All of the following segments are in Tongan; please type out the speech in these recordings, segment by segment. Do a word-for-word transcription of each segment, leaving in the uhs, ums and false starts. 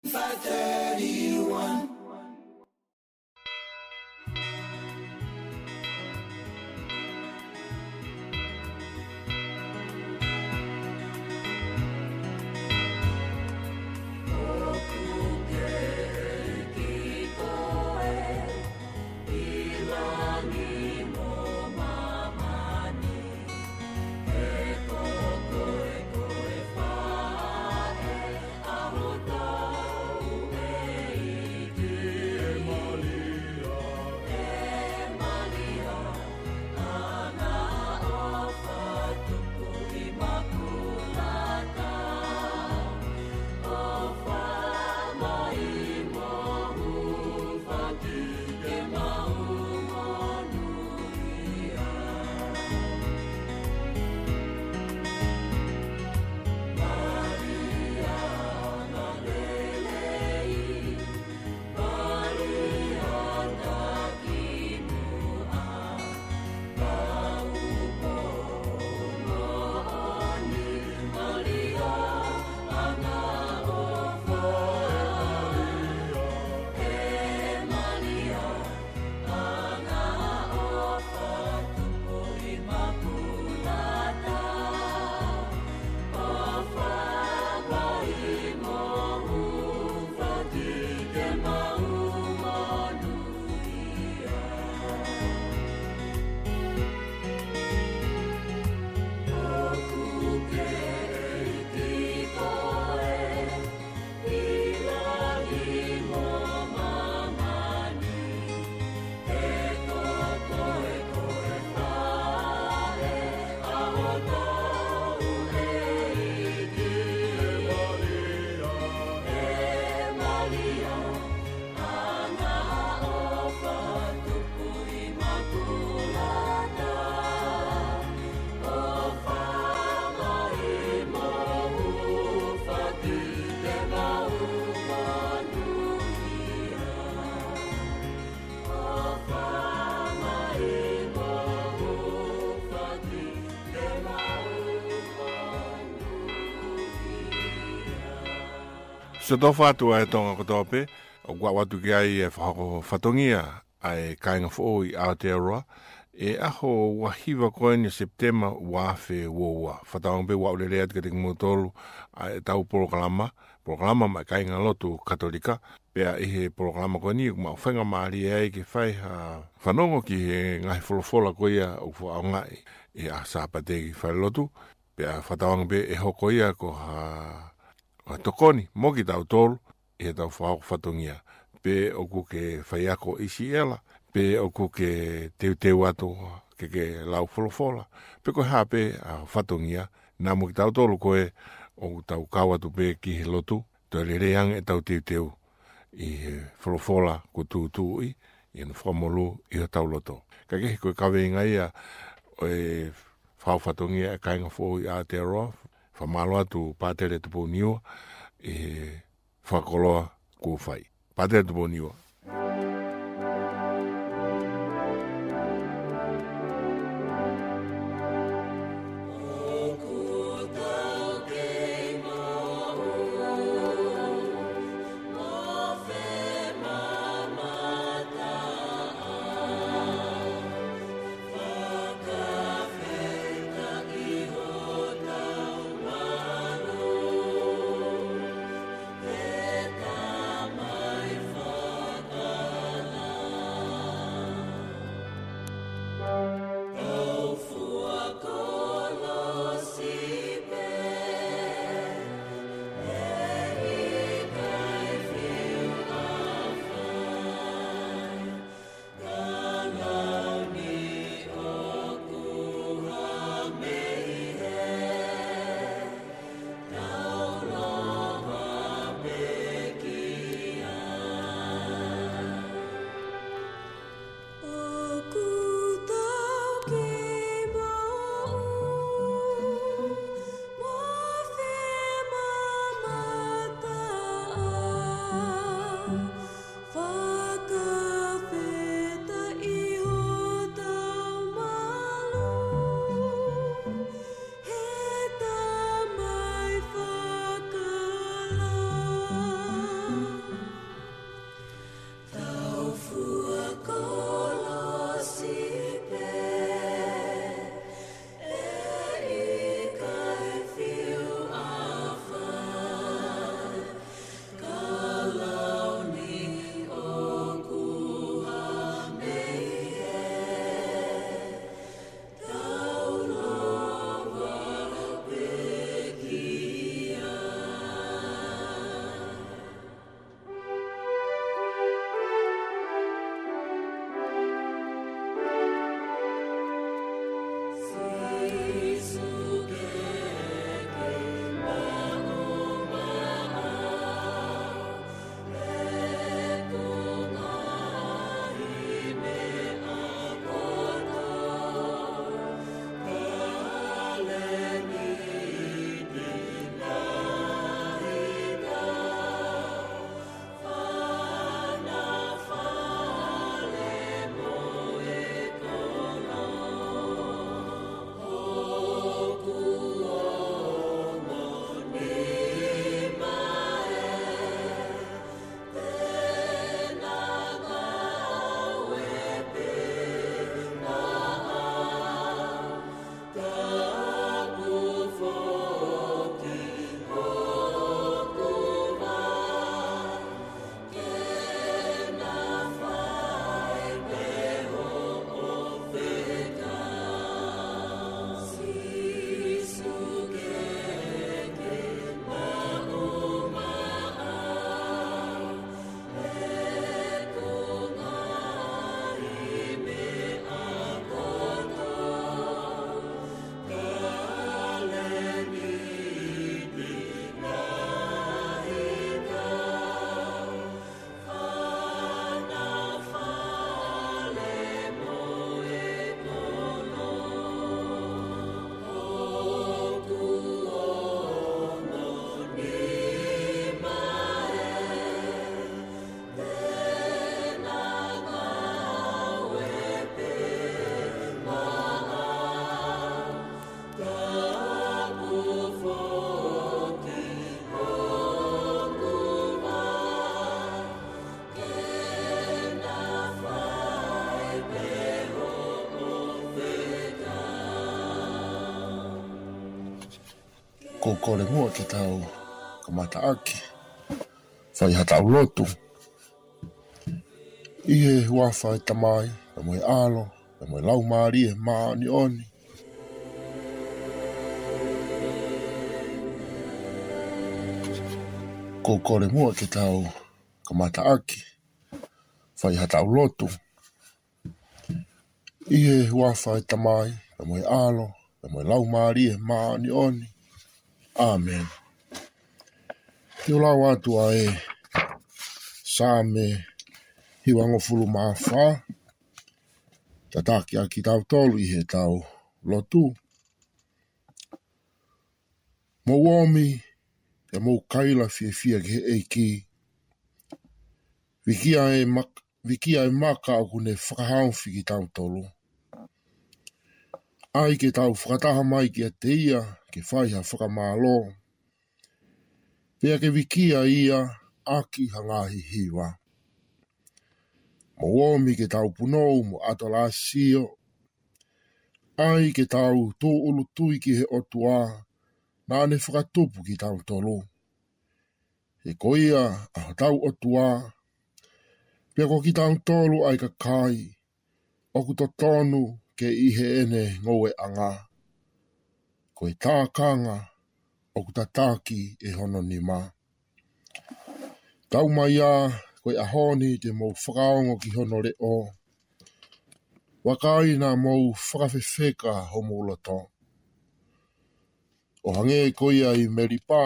Five thirty-one. Siʻotofa atu ʻa e Tonga kotoa pē, ʻoku aʻu atu ki ai e fakahoko fatongia ʻa e kāinga foʻou ʻi Aotearoa, ʻi he ʻaho ua hiva ko eni ʻo Sepitema ua afe ua ua. Fakatauange pē ʻoku ou lele atu kiate kimoutolu ʻa ʻetau polokalama, polokalama maʻa e kāinga lotu Katolika, pea ʻi he polokalama ko eni ʻoku mau faingamālie ai ke fai ha fanongo ki he ngaahi folofola ko ia ʻoku fakaʻaongaʻi ʻi he ʻaho Sāpate ki he falelotu, pea fakatauange pē ʻe hoko ia ko ha, ha tokoni mo kitautolu ʻi heʻetau fakahoko fatongia. Pe ʻoku ke faiako ʻi Siʻela, pe ʻoku ke teuteu atu ke ke lau folofola, pe ko e hā pē ʻa e fatongia, naʻa mo kitautolu ko ē ʻoku tau kau atu pē ki he lotu, toe lelei ange ʻetau teuteu ʻi he folofola kuo tūtuuʻi, ʻi hono fakamolū ʻi hotau loto. Ka kehe ko e kaveinga ia ʻo e fakahoko fatongia ʻa e kāinga foʻou ʻi Aotearoa, fakamālō atu Pātele Tupouniua ʻi he fakakoloa kuo fai. Pātele Tupouniua. Ko e kole muʻa ke tau kamataʻaki fai haʻatau lotu. ʻI he huafa ʻo e Tamai, pea mo e ʻAlo, pea mo e Laumālie Māʻoniʻoni. Ko e kole muʻa ke tau kamataʻaki fai haʻatau lotu. ʻI he huafa ʻo e Tamai, pea mo e ʻAlo, pea mo e Laumālie Māʻoniʻoni. ʻĀmeni. Te u lau atu ʻa e Saame hivangofulu mā fā, tataki ʻaki kitautolu ʻi heʻetau lotu. Mou omi, pea mou kaila fiefia ki he ʻEiki. Vikia e mak-, vikia e maka ʻoku ne fakahaofi kitautolu. ʻAi ke tau fakataha mai kiate ia, ke fai ha fakamālō. Pea ke vikia ia ʻaki ha ngaahi hiva. Mou omi ke tau punou mo ʻatolāsio. ʻAi ke tau tūʻulutui ki he ʻOtua, naʻa ne fakatupu kitautolu. He ko ia ʻa hotau ʻOtua, pea ko kitautolu ʻa e kakai ʻoku totonu ke ʻi heʻene ngoueʻanga. Ko e tākanga ʻoku tataki ʻe hono nima. Tau mai ā, ko e ʻaho ni te mou fakaongo ki hono leʻo. Vakai naʻa mou fakafefeka homou loto. ʻO hangē ko ia ʻi Melipa,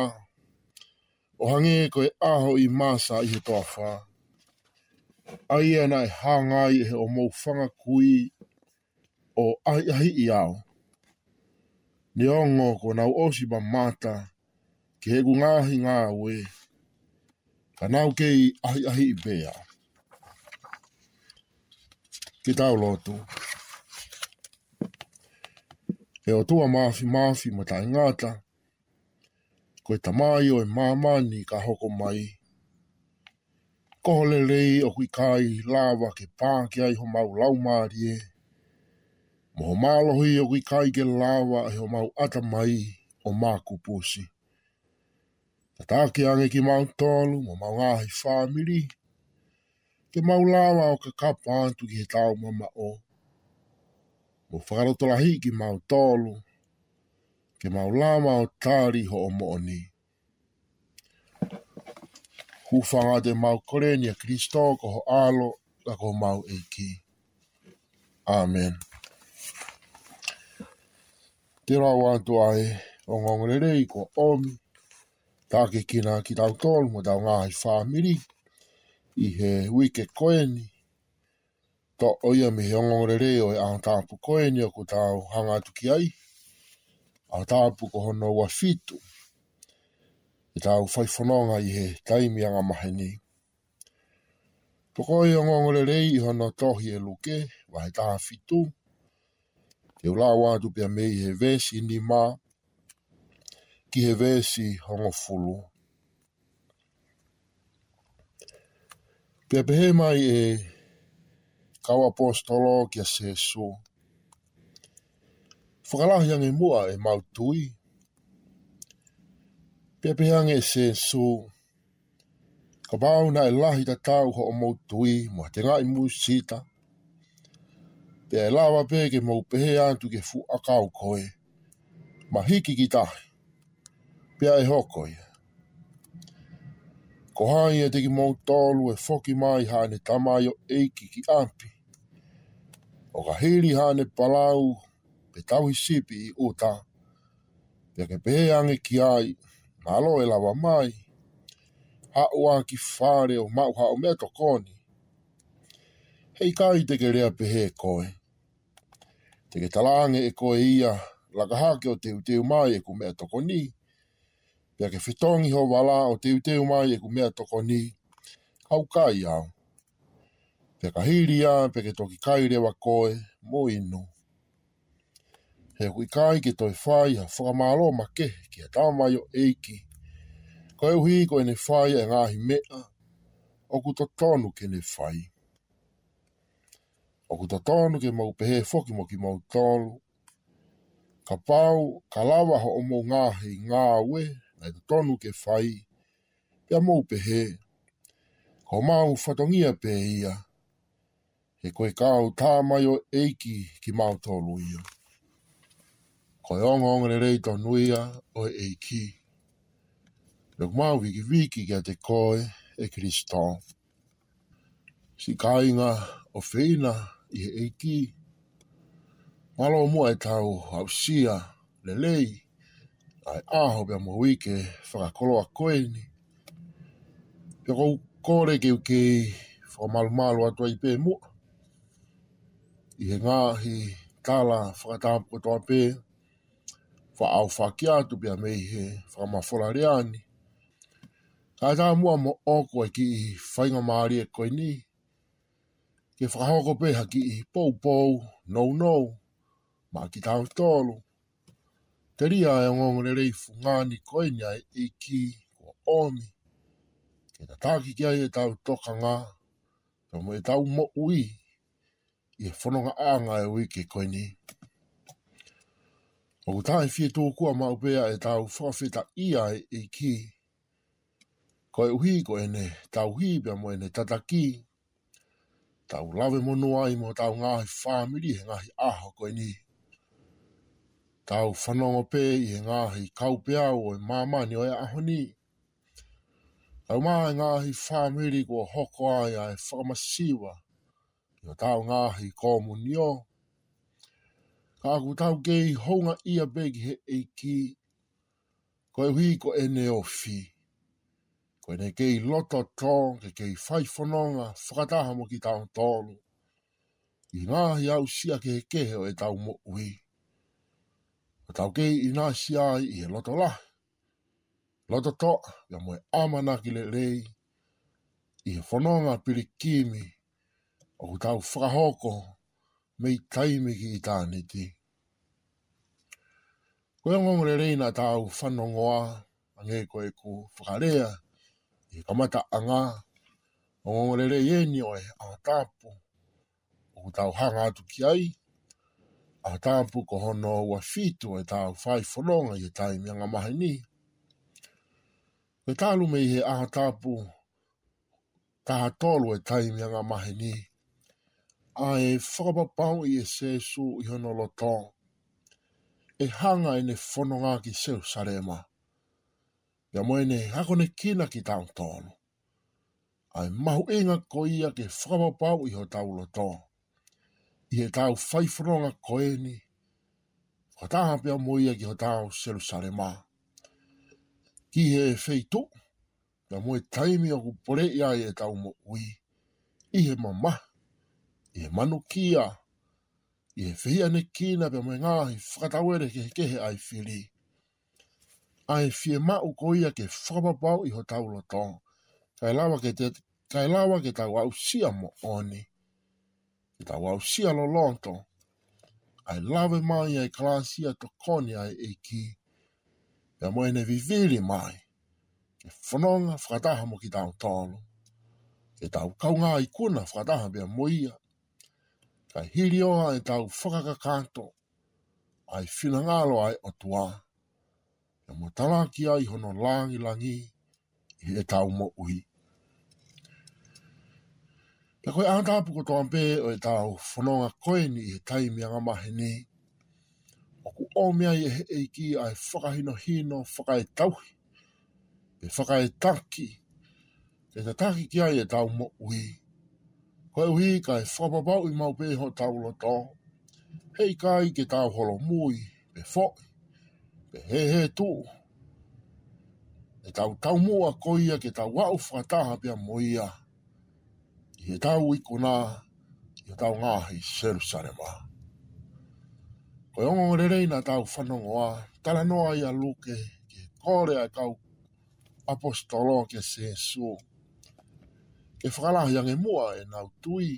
ʻo hangē ko e ʻaho ʻi Masa ʻi he toafa. ʻA ia naʻe hanga ai ʻe hoʻomou fanga kui ʻo ʻahiʻahiʻi au. Neongo kuo nau ʻosi mamata ki heʻeku ngaahi ngāue, ka nau kei ʻahiʻahiʻi pē au. Ke tau lotu. ʻE ʻOtua Māfimafi mo Taʻengata, ko e Tamai ʻo e māmani ka hoko mai. Ko ho lelei ʻoku ʻikai lava ke pā ki ai homau laumālie, mo ho mālohi ʻoku ʻikai ke lava ʻe homau ʻatamai ʻo makupusi. Tataki ange kimautolu mo homau ngaahi fāmili, ke mau lava ʻo kakapa atu ki heʻetau mamaʻo, mo fakalotolahiʻi kimautolu, ke mau lava ʻo tali hoʻo moʻoni. Hūfanga atu ʻemau kole ni ʻia Kalaisi ko ho ʻAlo, ka ko homau ʻEiki. ʻĀmeni. Te u lau atu ʻa e ongoongolelei kuo ʻomi, tataki kinautolu mo ʻetau ngaahi fāmili ʻi he uike ko eni. Toʻo ia mei he ongoongolelei ʻo e ʻaho tapu ko eni ʻoku tau hanga atu ki ai. ʻAho tapu ko hono ua fitu ʻetau fai fononga ʻi he taimi angamaheni. Toʻo e ongoongolelei ʻi hono tohi ʻe Luke, vahe taha fitu. Te u lau atu pea mei he veesi nima ki he veesi hongofulu. Pea pehē mai ʻe he kau ʻaposetolo kia Sīsū, fakalahi ange muʻa ʻemau tui. Pea pehē ange ʻe Sīsū, kapau naʻe lahi tatau hoʻomou tui mo ha tengaʻi musita, pea ʻe lava pē ke mou pehē atu ki he fuʻu ʻakau ko ē, mahiki ki tahi, pea ʻe hoko ia. Ko hai ʻiate kimoutolu ʻe foki mai haʻane tamaioʻeiki ki ʻapi, ʻo ka hili haʻane palau pe tauhi sipi ʻi ʻuta, pea ke pehē ange ki ai, mālō ʻe lava mai, haʻu ā ki fale ʻo maʻu haʻo meʻatokoni? Heʻikai te ke lea pehē koe. Te ke talaange ʻe koe ia, laka hake ʻo teuteu mai ʻeku meʻatokoni, pea ke fetongi ho vala ʻo teuteu mai ʻeku meʻatokoni, ka ʻoku ʻikai au. Pea ka hili ia, pea ke toki kai leva koe mo inu. He ʻoku ʻikai ke toe fai ha fakamālō makehe ki ha tamaioʻeiki, koeʻuhi ko ʻene fai ʻa e ngaahi meʻa ʻoku totonu ke ne fai. ʻOku totonu ke mau pehē foki mo kimoutolu, Kapau ka lava hoʻomou ngaahi ngāue naʻe totonu ke fai, pea mou pehē, ko homau fatongia pē ia, he ko e kau tamaioʻeiki kimautolu ia. Ko e ongoongolelei tonu ia ʻo e ʻEiki. Pea ʻoku mau vikiviki kiate koe, ʻe Kilisitō. Siʻi kāinga ʻofeina ʻi he ʻEiki, mālō muʻa ʻetau aʻusia lelei ʻa e ʻaho pea mo e uike fakakoloa ko eni. Pea ʻoku ou kole ke u kei fakamalumalu atu ai pē muʻa ʻi he ngaahi tala fakatapu kotoa pē, faʻa ʻaofaki atu pea mei he fakamafola lea ni. Kae ʻatā muʻa moʻoku ʻa e kiʻi faingamālie ko eni ke fakahoko pē ha kiʻi poupou nounou maʻa kitautolu, telia ʻa e ongoongolelei fungani ko eni ʻa e ʻEiki kuo ʻomi ke tataki ki ai ʻetau tokanga pea mo ʻetau moʻui ʻi he fonongaʻanga ʻo e uike ko eni. ʻOku taʻefietukuʻa maʻu pē ʻetau fakafetaʻia ʻa e ʻEiki, koeʻuhi ko ʻene tauhi pea mo ʻene tataki, tau lave monū ai mo hotau ngaahi fāmili he ngaahi ʻaho ko eni. Tau fanongo pē ʻi he ngaahi kaupeau ʻo e māmani ʻo e ʻaho ni, kae ʻumaʻā e ngaahi fāmili kuo hoko ai ʻa e fakamasiva ʻi hotau ngaahi komunio. Ka ʻoku tau kei houngaʻia pē ki he ʻEiki, koeʻuhi ko ʻene ofi, ko ʻene kei loto tō ke kei fai fononga fakataha mo kitautolu ʻi he ngaahi aʻusia kehekehe ʻo ʻetau moʻui. ʻOku tau kei ʻinasi ai ʻi he loto lahi, loto toʻa, pea mo e ʻamanaki lelei ʻi he fononga pilikimi ʻoku tau fakahoko mei taimi ki ʻitāniti. Ko e ongoongolelei naʻa tau fanongoa, hangē ko ʻeku fakalea ʻi he kamataʻanga, ongoongolelei eni ʻo e ʻaho tapu ʻoku tau hanga atu ki ai, ʻaho tapu ko hono ua fitu ʻetau fai fononga ʻi he taimi angamaheni. Ko e talu mei he ʻaho tapu taha tolu ʻo e taimi angamaheni, ʻa e fakapapauʻi ʻe Sīsū ʻi hono loto ʻe hanga ʻene fononga ki Selusalema, pea mo ʻene akonekina kitautolu. ʻA e mahuʻinga ko ia ke fakapapauʻi hotau loto ʻi heʻetau fai fononga ko eni, fakataha pea mo ia ki hotau Selusalema, ki he feituʻu pea mo e taimi ʻoku poleʻi ai ʻetau moʻui, ʻi he mamahi, ʻi he manukia, ʻi he fehiʻanekina pea mo e ngaahi fakatauele kehekehe ʻa e fili. ʻA e fiemaʻu ko ia ke fakapapauʻi hotau loto, kae lava ke te, kae lava ke tau aʻusia moʻoni, ke tau aʻusia loloto ʻa e lave mai ʻa e kalasi ʻa e tokoni ʻa e ʻEiki, pea mo ʻene vivili mai ke fononga fakataha mo kitautolu, ke tau kaungā ikuna fakataha pea mo ia, kae hilioa ʻetau fakakakato ʻa e finangalo ʻa e ʻOtua, pea mo talaki ai hono langilangi ʻi heʻetau moʻui. Pea ko e ʻaho tapu kotoa pē ʻo ʻetau fononga ko eni ʻi he taimi angamaheni, ʻoku ʻomi ai ʻe he ʻEiki ʻa e fakahinohino fakaetauhi, pe fakaetaki, ke tataki ki ai ʻetau moʻui, koeʻuhi kae fakapapauʻi maʻu pē hotau loto, heʻikai ke tau holomui, pe foʻi, pe hēhētuʻu ʻetau taumuʻa ko ia ke tau aʻu fakataha pea mo ia ʻi heʻetau ikuna ʻi hotau ngaahi Selusalema. Ko e ongoongolelei naʻa tau fanongoa, talanoa ai ʻa Luke ki he kole ʻa e kau ʻaposetolo kia Sīsū ke fakalahi ange muʻa ʻenau tui.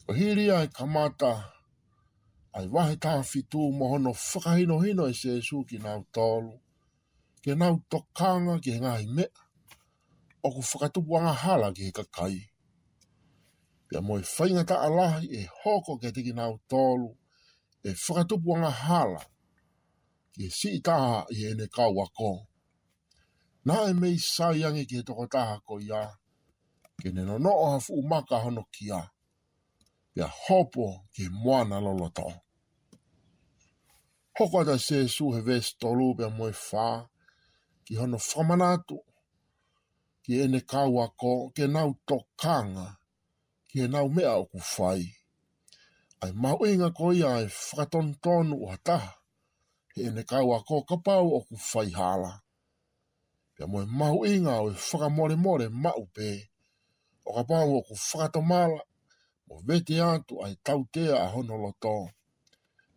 Ko e hili ʻa e kamata ʻa e vahe taha fitu mo hono fakahinohino ʻe Sīsū kinautolu ke nau tokanga ki he ngaahi meʻa ʻoku fakatupu angahala ki he kakai, pea mo e faingataʻa lahi ʻe hoko kiate kinautolu ʻe fakatupu angahala ki he siʻi taha ʻi heʻene kau ako. Naʻe mei sai ange ki he tokotaha ko ia, ke ne nonoʻo ha fuʻu maka hono kia, pea hopo ki he moana loloto. Hoko atu ʻa Sēsū he veesi tolu pea mo e fā, ki hono fakamanatu ki heʻene kau ako ke nau tokanga ki heʻenau meʻa ʻoku fai. ʻA e mahuʻinga ko ia ʻa e fakatonutonu ʻo ha taha heʻene kau ako kapau ʻoku fai hala. Pea mo e mahuʻinga ʻo e fakamolemole maʻu pē ʻo kapau ʻoku fakatomala mo vete atu ʻa e tautea ʻa hono loto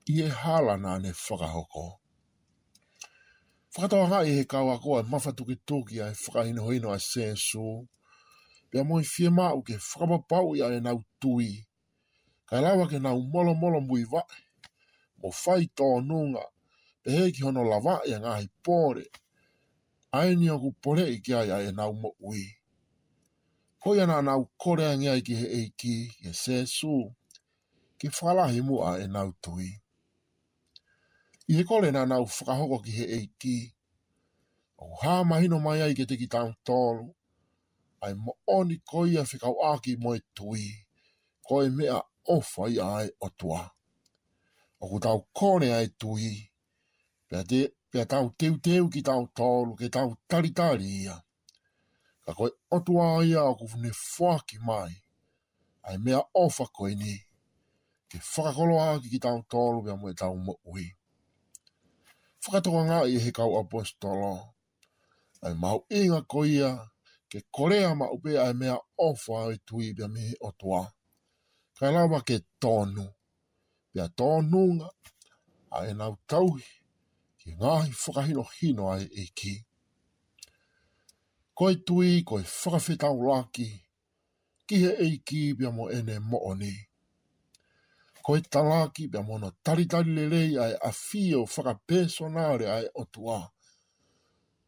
ʻi he hala naʻa ne fakahoko. Fakatokangaʻi ʻe he kau ako ʻa e mafatukituki ʻa e fakahinohino ʻa Sēsū, pea mo e fiemaʻu ke fakapapauʻi ʻa ʻenau tui, kae lava ke nau molomolomuivaʻe, mo fai tōnunga, pehē ki hono lavaʻi ʻa e ngaahi pole ʻa eni ʻoku poleʻi ki ai ʻa ʻenau moʻui. Ko ia naʻa nau kole ange ai ki he ʻEiki, ki he Sēsū, ke fakalahi muʻa ʻenau tui. ʻI he kole naʻa nau fakahoko ki he ʻEiki, ʻoku hā mahino mai ai kiate kitautolu ʻa e moʻoni ko ia fekauʻaki mo e tui, ko e meʻaʻofa ia ʻa e ʻOtua. ʻOku tau kole ʻa e tui, pea te, pea tau teuteu kitautolu ke tau talitali ia. Ka ko e ʻOtua ia ʻoku ne foaki mai ʻa e meʻaʻofa ko eni, ke fakakoloa ʻaki kitautolu pea mo ʻetau moʻui. Fakatokangaʻi ʻe he kau ʻaposetolo ʻa e mahuʻinga ko ia ke kolea maʻu pē ʻa e meʻaʻofa ʻo e tui pea mei he ʻOtua, kae lava ke tonu, pea tōnunga ʻa ʻenau tauhi ki he ngaahi fakahinohino ʻa e ʻEiki. Ko e tui ko e fakafetaulaki ki he ʻEiki pea mo ʻene moʻoni. Ko e talaki pea mo hono talitali lelei ʻa e ʻafio fakapēsonale ʻa e ʻOtua,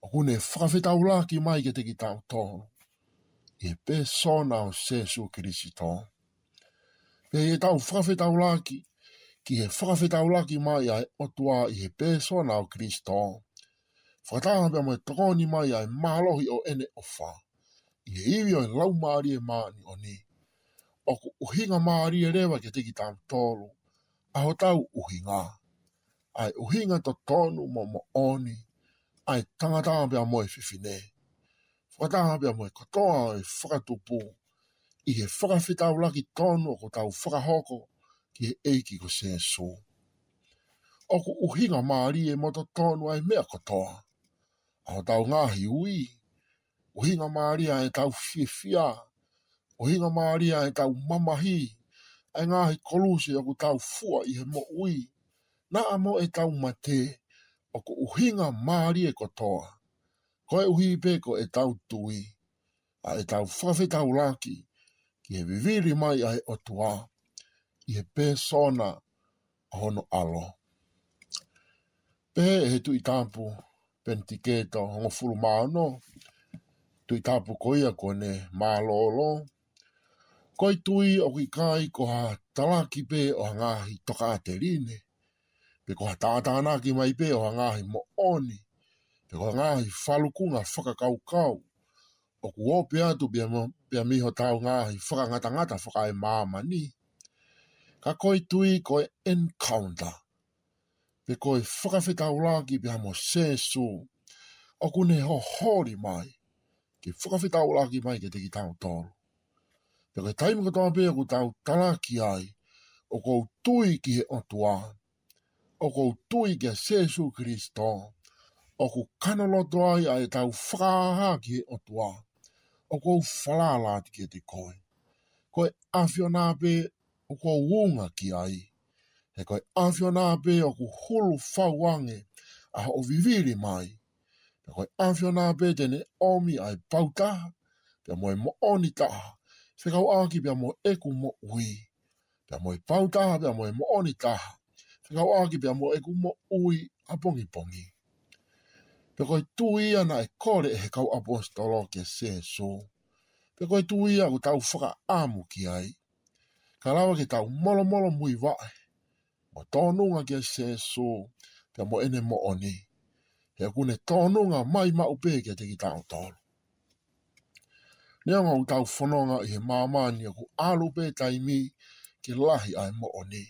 ʻoku ne fakafetaulaki mai kiate kitautolu ʻi he pēsona ʻo Sēsū Kilisito. Pea ʻi heʻetau fakafetaulaki ki he fakafetaulaki mai ʻa e ʻOtua ʻi he pēsona ʻo Kilisito, fakataha pea mo e tokoni mai ʻa e mālohi ʻo ʻene ʻofa ʻi he ivi ʻo e Laumālie Māʻoniʻoni, ʻoku ʻuhinga mālie leva kiate kitautolu ʻa hotau ʻuhinga, ʻa e ʻuhinga totonu mo moʻoni ʻa e tangata pea mo e fefine, fakataha pea mo e kotoa ʻo e fakatupu, ʻi he fakafetaulaki tonu ʻoku tau fakahoko ki he ʻEiki ko Sēsū. ʻOku ʻuhinga mālie mo totonu ʻa e meʻa kotoa, ʻa hotau ngaahi ui, ʻuhinga mālie ʻa ʻetau fiefia, ʻuhinga mālie ʻa ʻetau mamahi, ʻa e ngaahi koluse ʻoku tau fua ʻi he moʻui, naʻa mo ʻetau mate, ʻoku ʻuhinga mālie kotoa, koeʻuhi pē ko ʻetau tui, ʻa ʻetau fakafetaulaki ki he vivili mai ʻa e ʻOtua ʻi he pēsona ʻo hono ʻAlo. Pehē ʻe he Tuʻi Tapu Penitiketo hongofulu mā ono, Tuʻi Tapu ko ia kuo ne mālōlō: Ko e tui ʻoku ʻikai ko ha talaki pē ʻo ha ngaahi tokāteline, pe ko ha tātānaki mai pē ʻo ha ngaahi moʻoni, pe ko ha ngaahi falukunga fakakaukau ʻoku ope atu pea mo, pea mei hotau ngaahi fakangatangata fakaemāmani. Ka ko e tui ko e encounter, pe ko e fakafetaulaki pea mo Sēsū, ʻoku ne hoholi mai ke fakafetaulaki mai kiate kitautolu. Pea ko e taimi kotoa pē ʻoku tau talaki ai ʻoku ou tui ki he ʻOtua, ʻoku ou tui kia Sēsū Kilisito, ʻoku kanoloto ai ʻa ʻetau fakahā ki he ʻOtua, ʻoku ou falala atu kiate koe. Ko e ʻAfiona pē ʻoku ou unga ki ai. He ko e ʻAfiona pē ʻoku hulu fau ange ʻa hoʻo vivili mai. Pea ko e ʻAfiona pē te ne ʻomi ʻa e pautaha pea mo e moʻoni taha fekauʻaki pea mo ʻeku moʻui, pea mo e pautaha pea mo e moʻoni taha fekauʻaki pea mo ʻeku moʻui ʻapongipongi. Pea ko e tui ia naʻe kole ʻe he kau ʻaposetolo kia Sēsū. Pea ko e tui ia ʻoku tau fakaʻamu ki ai, kae lava ke tau molomolomuivaʻe, ʻo tōnunga kia Sēsū pea mo ʻene moʻoni. He ʻoku ne tōnunga mai maʻu pē kiate kitautolu. Neongo ʻoku tau fononga ʻi he māmani ʻoku ʻalu pē taimi ke lahi ʻa e moʻoni.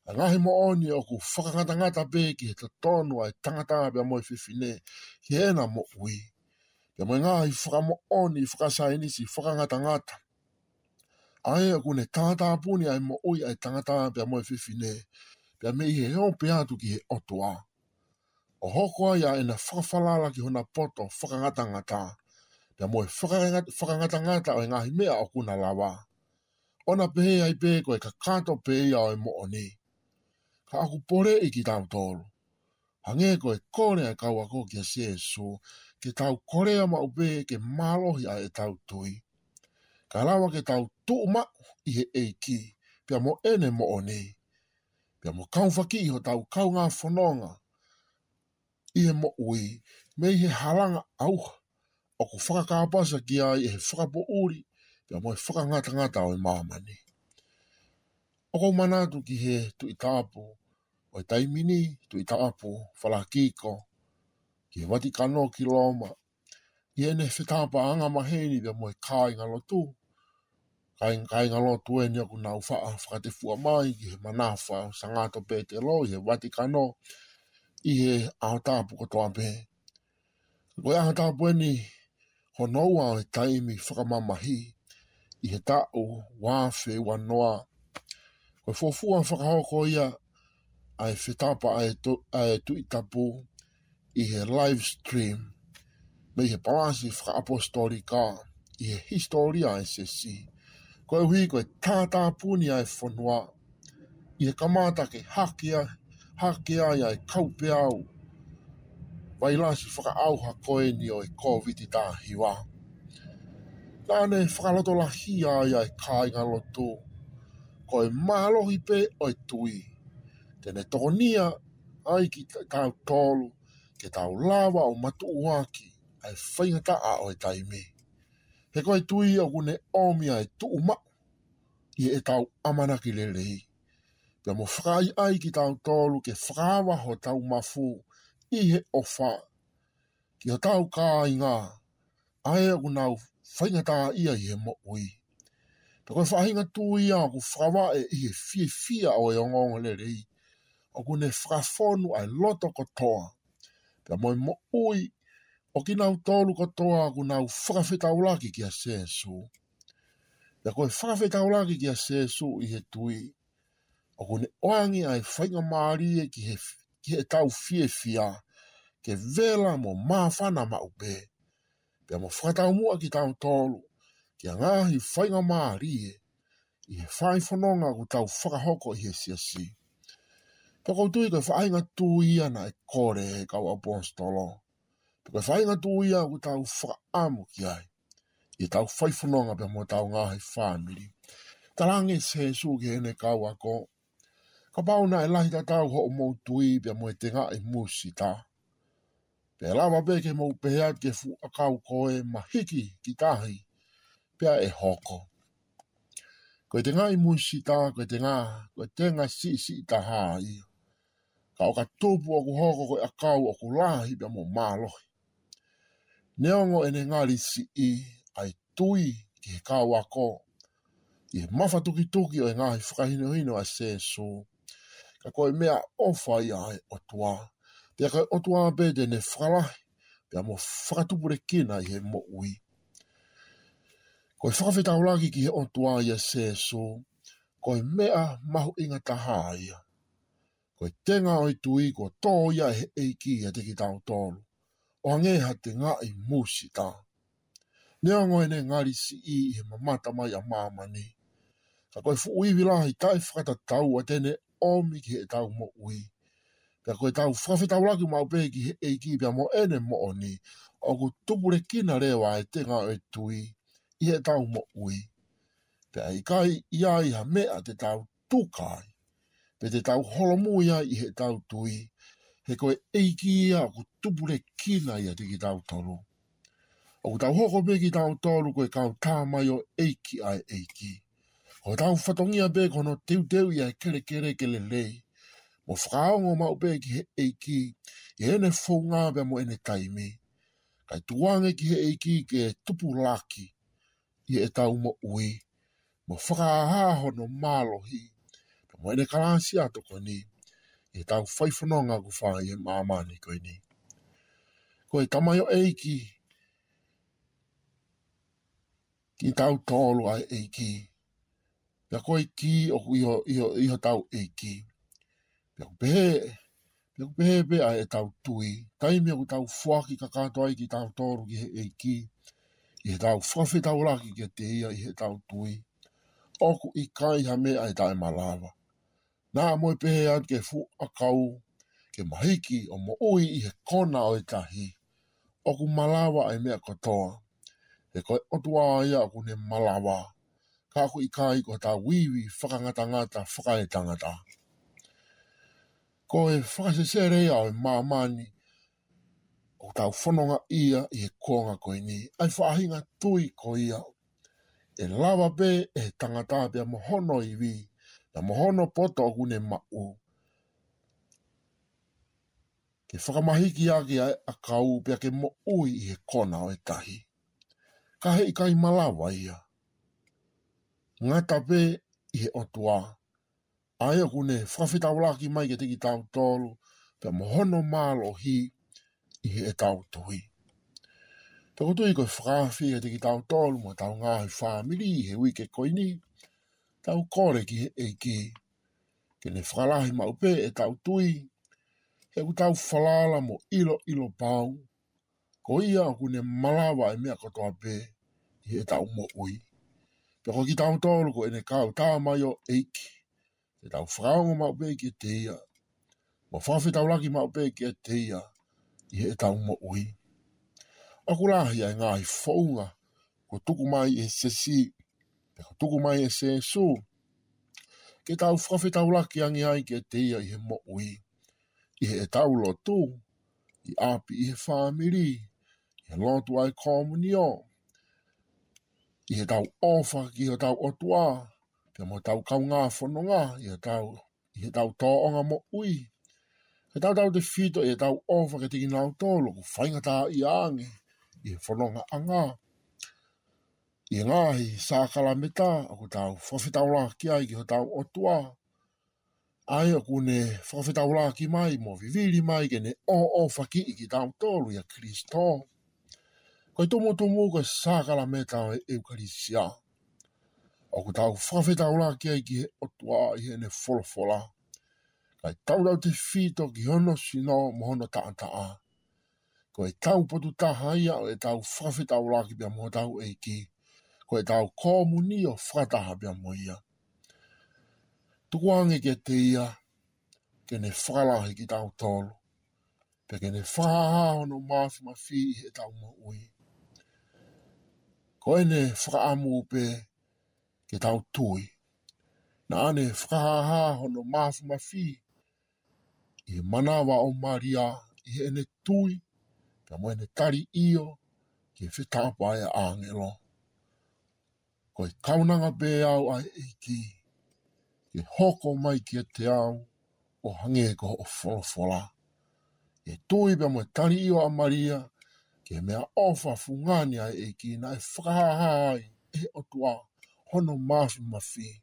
ʻA e ngaahi moʻoni ʻoku fakangatangata pē ki he totonu ʻa e tangata pea mo e fefine, ki heʻena moʻui. Pea mo e ngaahi fakamoʻoni fakasaienisi fakangatangata. ʻA ē ʻoku ne tātāpuni ʻa e moʻui ʻa e tangata pea mo e fefine. Pea mei he ope atu ki he ʻOtua. ʻO hoko ai ʻa ʻena fakafalala ki hona poto fakangatangata. Pea mo e fakangata-, fakangatangata ʻo e ngaahi meʻa ʻoku na lava. ʻO na pehē ai pē ko e kakato pē ia ʻo e moʻoni. Ka ʻoku poleʻi kitautolu. Hangē ko e kole ʻa e kau ako kia Sēsū, ke tau kolea maʻu pē ke mālohi ʻa ʻetau tui. Ka lava ke tau tuʻu maʻu ʻi he ʻEiki, pea mo ʻene moʻoni. Pea mo kaufakiʻi hotau kaungā fononga ʻi he moʻui, mei he halanga ʻauha, ʻoku fakakāpasa ki ai ʻe he fakapoʻuli, pea mo e fakangatangata ʻo e māmani. ʻOku ou manatu ki he Tuʻi Tapu ʻo e taimi ni, Tuʻi Tapu Falakiko, ki he Vatikano ki Loma, ʻi heʻene fetapaʻanga maheni pea mo e kāingalotu. Kāing-, kāingalotu eni ʻoku nau faʻa fakatefua mai ki he manafa ʻo Sangato Petelo ʻi he Vatikano ʻi he ʻaho tapu kotoa pē. Ko e ʻaho tapu eni hono ua ʻo e taimi fakamamahi ʻi he taʻu ua afe ua noa. Ko e fuofua fakahoko ia ʻa e fetapa ʻa e tu-, ʻa e Tuʻi Tapu ʻi he live stream mei he Palasi Fakaʻapositolika ʻi he hisitōlia ʻa e Siasi. Koeʻuhi ko e tātāpuni ʻa e fonua ʻi he kamata ke hake ai, hake ai ʻa e kaupeau vailasi fakaʻauha ko eni ʻo e Kōviti taha hiva. Naʻa ne fakalotolahia ai ʻa e kāingalotu, ko e mālohi pē ʻo e tui te ne tokonia ai kitautolu, ke tau lava ʻo matuʻuaki ʻa e faingataʻa ʻo e taimi. He ko e tui ʻoku ne ʻomi ʻa e tuʻu maʻu ʻi heʻetau ʻamanaki lelei. Pea mo fakaʻaiʻai kitautolu ke fakaava hotau mafu ʻi he ʻofa ki hotau kāinga, ʻa ē ʻoku nau faingataʻaʻia ʻi he moʻui. Pea ko e faʻahinga tui ia ʻoku fakavaʻe ʻi he fiefia ʻo e ongoongolelei, ʻoku ne fakafonu ʻa e loto kotoa. Pea mo e moʻui ʻo kinautolu kotoa ʻoku nau fakafetaulaki kia Sēsū. Pea ko e fakafetaulaki kia Sēsū ʻi he tui, ʻoku ne ʻoange ʻa e faingamālie ki he, ki heʻetau fiefia, ke vela mo māfana maʻu pē. Pea mo fakataumuʻa kitautolu ki ha ngaahi faingamālie ʻi he faifononga ʻoku tau fakahoko ʻi he Siasi. Pea ʻoku ou tui ko e faʻahinga tui ia naʻe kole ʻe he kau ʻaposetolo. Pea ko e faʻahinga tui ia ʻoku tau fakaʻamu ki ai ʻi heʻetau faifononga pea mo hotau ngaahi fāmili. Talaange ʻe Sēsū ki heʻene kau ako, kapau naʻe lahi tatau hoʻomou tui pea mo e tengaʻi musita, pea ʻe lava pē ke mou pehē atu ki he fuʻu ʻakau ko ē, mahiki ki tahi, pea ʻe hoko. Ko e tengaʻi musita, ko e tenga, ko e tenga siʻisiʻi taha ia. Ka ʻo ka tupu ʻoku hoko ko e ʻakau ʻoku lahi pea mo mālohi. Neongo ʻene ngali siʻi ʻa e tui ki he kau ako ʻi he mafatukituki ʻo e ngaahi fakahinohino ʻa Sēsū, ka ko e meʻaʻofa ia ʻa e ʻOtua. Pea ko e ʻOtua pē te ne fakalahi pea mo fakatupulekina ʻi he moʻui. Ko e fakafetaulaki ki he ʻOtua ʻia Sēsū, ko e meʻa mahuʻinga taha ia. Ko e tenga ʻo e tui kuo tō ia ʻe he ʻEiki ʻiate kitautolu, ʻo hangē ha tengaʻi musita. Neongo ʻene ngali siʻi ʻi he mamata mai ʻa māmani, ka ko e fuʻu ivi lahi taʻefakatataua te ne ʻomi ki heʻetau moʻui. Pea ko ʻetau fakafetaulaki maʻu pē ki he ʻEiki pea mo ʻene moʻoni, ʻoku tupulekina leva e tenga ʻo e tui ʻi heʻetau moʻui. Pea ʻe ʻikai ʻi ai ha meʻa te tau tuka ai, pe te tau holomui ai ʻi heʻetau tui, he ko e ʻEiki ia ʻoku tupulekina ʻiate kitautolu. ʻOku tau hoko pē kitautolu ko e kau tamaioʻeiki ʻa e ʻEiki. Ko hotau fatongia pē ko hono teuteuʻi ʻa e kelekele ke lelei. mo fakaongo maʻu pē ki he ʻEiki ʻi heʻene founga pea mo ʻene taimi. Kae tuku ange ki he ʻEiki ke tupulaki ʻi heʻetau moʻui, mo fakahā hono mālohi pea mo ʻene kalāsia tokoni ʻi heʻetau faifononga ʻoku fai ʻi he māmani ko eni. Ko e tamaioʻeiki kitautolu ʻa e ʻEiki, pea ko e kī ʻoku ʻi ho, ʻi ho, ʻi hotau ʻEiki. Pea ʻoku pehē, pea ʻoku pehē pē ʻa ʻetau tui, taimi ʻoku tau foaki kakato ai kitautolu ki he ʻEiki ʻi heʻetau fakafetaulaki kiate ia ʻi heʻetau tui, ʻoku ʻikai ha meʻa ʻe taʻemalava. Naʻa mo e pehē atu ki he fuʻu ʻakau ke mahiki ʻo moʻui ʻi he kona ʻo e tahi, ʻoku malava ʻa e meʻa kotoa, he ko e ʻOtua ia ʻoku ne malava, ka ʻoku ʻikai ko hotau ivi fakangatangata fakaetangata. Ko e fakasesele ia ʻo e māmani ʻoku tau fononga ʻi he kuonga ko eni, ʻa e faʻahinga tui ko ia ʻe lava pē ʻe he tangata pea mo hono ivi, pea mo hono poto ʻoku ne maʻu, ke fakamahiki ʻaki ʻa e ʻakau pea ke moʻui ʻi he kona ʻo e tahi. Ka heʻikai malava ia. Ngata pē ʻi he ʻOtua, ʻa ia ʻoku ne fakafetaulaki mai kiate kitautolu pea mo hono mālohi ʻi heʻetau tui. Pea ʻoku ou tui ko e fakaafe kiate kitautolu mo hotau ngaahi fāmili ʻi he uike ko eni, tau kole ki he ʻEiki ke ne fakalahi maʻu pē ʻetau tui, he ʻoku tau falala mo ʻiloʻilo pau ko ia ʻoku ne malava ʻa e meʻa kotoa pē ʻi heʻetau moʻui. Pea ko kitautolu ko ʻene kau tamaioʻeiki, ke tau fakaongo maʻu pē kiate ia, mo fakafetaulaki maʻu pē kiate ia ʻi heʻetau moʻui. ʻOku lahi ʻa e ngaahi founga kuo tuku mai ʻe he siasi, pea kuo tuku mai ʻe Sīsū, ke tau fakafetaulaki ange ai kiate ia ʻi he moʻui, ʻi heʻetau lotu, ʻi ʻapi, ʻi he fāmili, ʻi he lotu ʻa e komunio, ʻi heʻetau ʻofa ki hotau ʻOtua pea mo hotau kaungā fononga, ʻi heʻetau, ʻi heʻetau tōʻonga moʻui, ke tautautefito ʻi heʻetau ʻofa kiate kinautolu ʻoku faingataʻaʻia ange ʻi he fonongaʻanga, ʻi he ngaahi sākalameta ʻoku tau fakafetaulaki ai ki hotau ʻOtua, ʻa ia ʻoku ne fakafetaulaki mai mo vivili mai ke ne ʻoʻofakiʻi kitautolu ʻia Kalaisi. Ko e tumutumu ko e sākalameta ʻo e ʻEukalisia, ʻoku tau fakafetaulaki ai ki he ʻOtua ʻi heʻene folofola, kae tautautefito ki hono sino mo hono taʻataʻa. Ko ʻetau potu taha ia ʻo ʻetau fakafetaulaki pea mo hotau ʻEiki, ko ʻetau komunio fakataha pea mo ia. Tuku ange kiate ia ke ne fakalahi kitautolu, pea ke ne fakahā hono māfimafi ʻi heʻetau moʻui. Ko ʻene fakaʻamu pē ke tau tui. Naʻa ne fakahā hono māfimafi ʻi he manava ʻo Malia, ʻi heʻene tui pea mo ʻene tali ʻio ki he fetapa ʻa e ʻāngelo. Ko e kaunanga pē au ʻa e ʻEiki, ke hoko mai kiate au ʻo hangē ko hoʻo folofola. ʻI he tui pea mo e tali ʻio ʻa Malia ki he meʻaʻofa fungani ʻa e ʻEiki, naʻe fakahā ai ʻe he ʻOtua hono māfimafi ʻi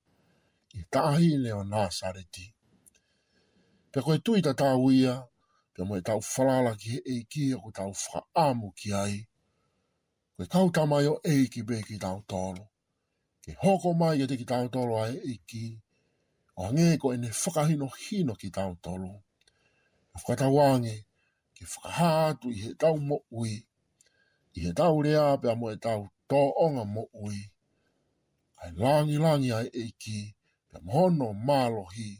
he taʻahine ʻo Nāsaleti. Pea ko e tui tatau ia pea mo ʻetau falala ki he ʻEiki ʻoku tau fakaʻamu ki ai. Ko e kau tamaioʻeiki pē kitautolu, ke hoko mai kiate kitautolu ʻa e ʻEiki ʻo hangē ko ʻene fakahinohino kitautolu. Ka fakatauange ke fakahā atu ʻi heʻetau moʻui, ʻi heʻetau lea pea mo ʻetau tōʻonga moʻui, ʻa e langilangi ʻa e ʻEiki pea mo hono mālohi,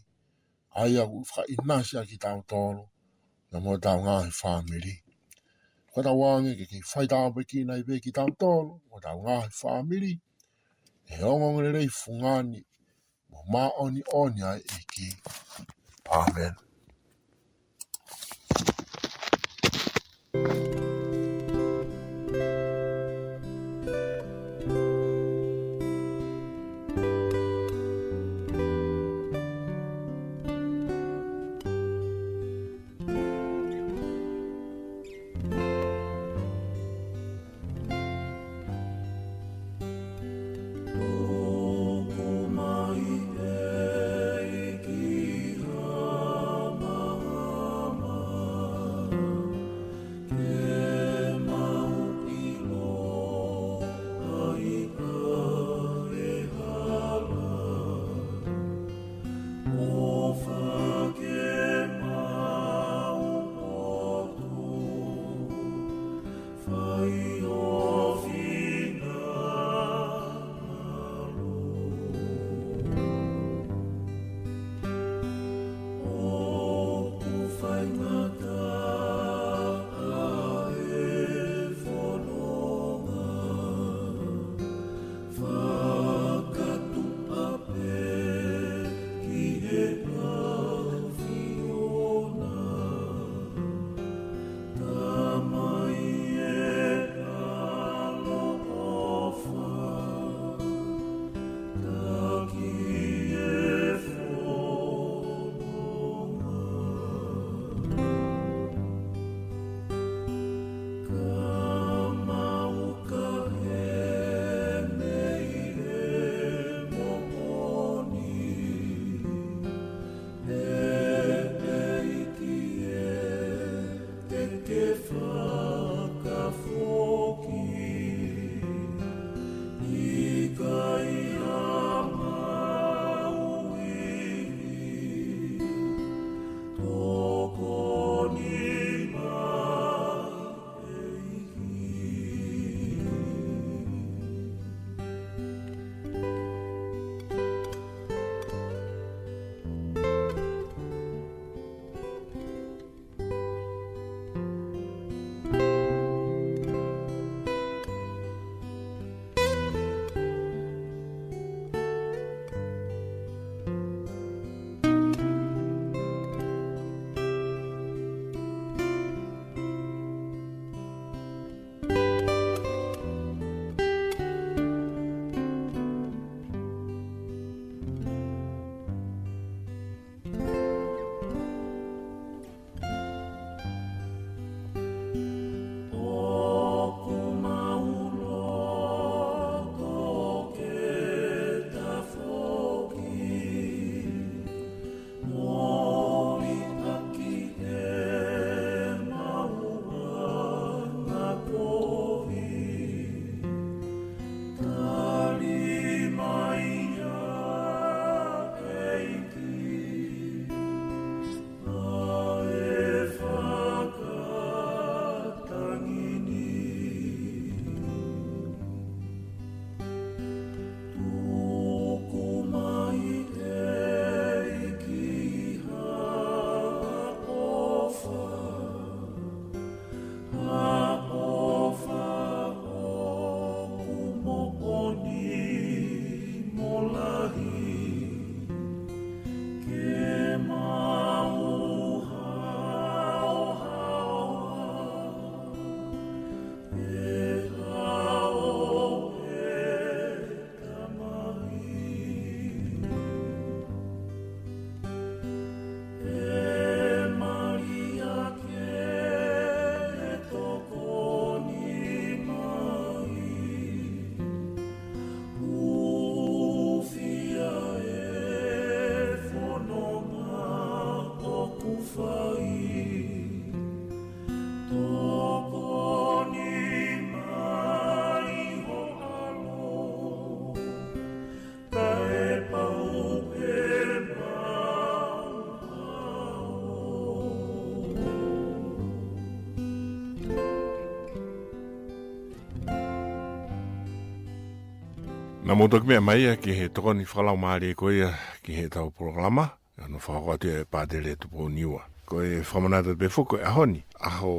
ʻa ia ʻoku fakaʻinasi ʻaki kitautolu pea mo hotau ngaahi fāmili. Fakatauange ke kei faitāpuekina ai pē kitautolu mo hotau ngaahi fāmili ʻe he ongoongolelei fungani mo māʻoniʻoni ʻa e ʻEiki. ʻĀmeni. Naʻa mou toki meʻa mai ia ki he tokoni fakalaumālie ko ia ki heʻetau polokalama, ʻa ia naʻe fakahoko atu ʻe Pātele Tupou Niua. Ko e fakamanatu pē foki ko e ʻaho ni, ʻaho,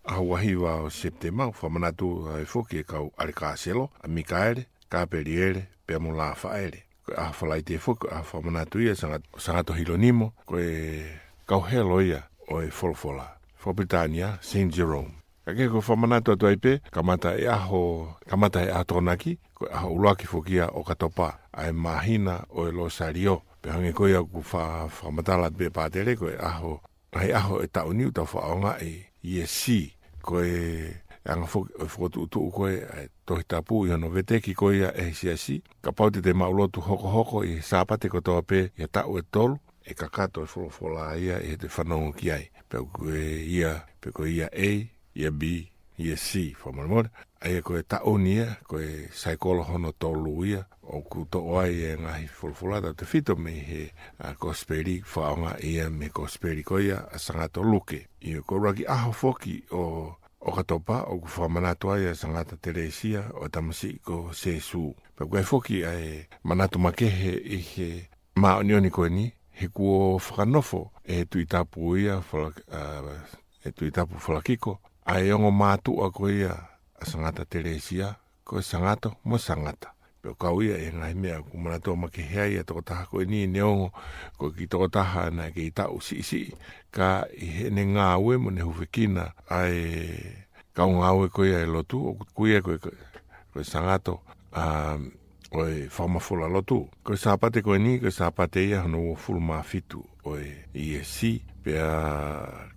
ʻaho uahiva ʻo Sepitema, fakamanatu ai foki e kau ʻAlikāselo, ʻa Mikaele, Kapeliele, pea mo Lafaele. Ko e ʻaho Falaite foki, ko e ʻaho fakamanatu ia Sangat-, Sangato Hilonimo, ko e kau helo ia ʻo e folofola faka-Pilitānia, Saint Jerome. Ka ko e fakamanatu atu ai pē, kamata e ʻaho, kamata e ʻaho Tokonaki, ko e ʻaho ʻuluaki foki ia ʻo ʻOkatopa, ʻa e māhina ʻo e Losālio. Pea hangē ko ia ʻoku fa-, fakamatala atu pē Pātele, ko e ʻaho, ʻa e ʻaho ʻo e taʻu ni ʻoku tau fakaʻaongaʻi ʻi he C. Ko e anga foki ʻo e fokotuʻutuʻu ko ē ʻa e Tohi Tapu ʻi hono veteki ko ia ʻe he siasi. Kapau te te maʻu lotu hokohoko ʻi he Sāpate kotoa pē ʻi he taʻu ʻe tolu, ʻe kakato e folofola ia ʻi heʻete fanongo ki ai. Pe ko e ia, pe ko e ia A, ia B, ia C, fakamolemole. ʻA ia ko e taʻu ni ia, ko e saikolo hono tolu ia, ʻoku toʻo ai e ngaahi folofola tautefito mei he, ʻa, Kosipeli, fakaʻaongaʻi ia mei he Kosipeli ko ia ʻa Sangato Luke. ʻA ia ko e ʻuluaki ʻaho foki ʻo, ʻo ʻOkatopa, ʻoku fakamanatu ai ʻa Sangata Telesia ʻo e Tamasiʻi ko Sēsū. Pea ko e foki ʻa e manatu makehe ʻi he māʻoniʻoni ko eni, he kuo fakanofo ʻe he Tuʻi Tapu ia, Fala-, ʻa, ʻe he Tuʻi Tapu Falakiko, ʻa e ongo mātuʻa ko ia ʻa Sangata Telesia, ko e Sangato mo Sangata. Pea ʻoku kau ia ʻi he ngaahi meʻa ʻoku manatua makehe ai ʻa e tokotaha ko eni, neongo ko e kiʻi tokotaha naʻe kei taʻu siʻisiʻi, ka ʻi heʻene ngāue mo ʻene hūfekina ʻa e kau ngāue ko ia ʻo e lotu, ʻoku ui ia ko e, ko e Sangato, ʻa, ʻo e Fakamafola Lotu. Ko e Sāpate ko eni, ko e Sāpate ia hono uofulu mā fitu ʻo e, ʻi he C. Pea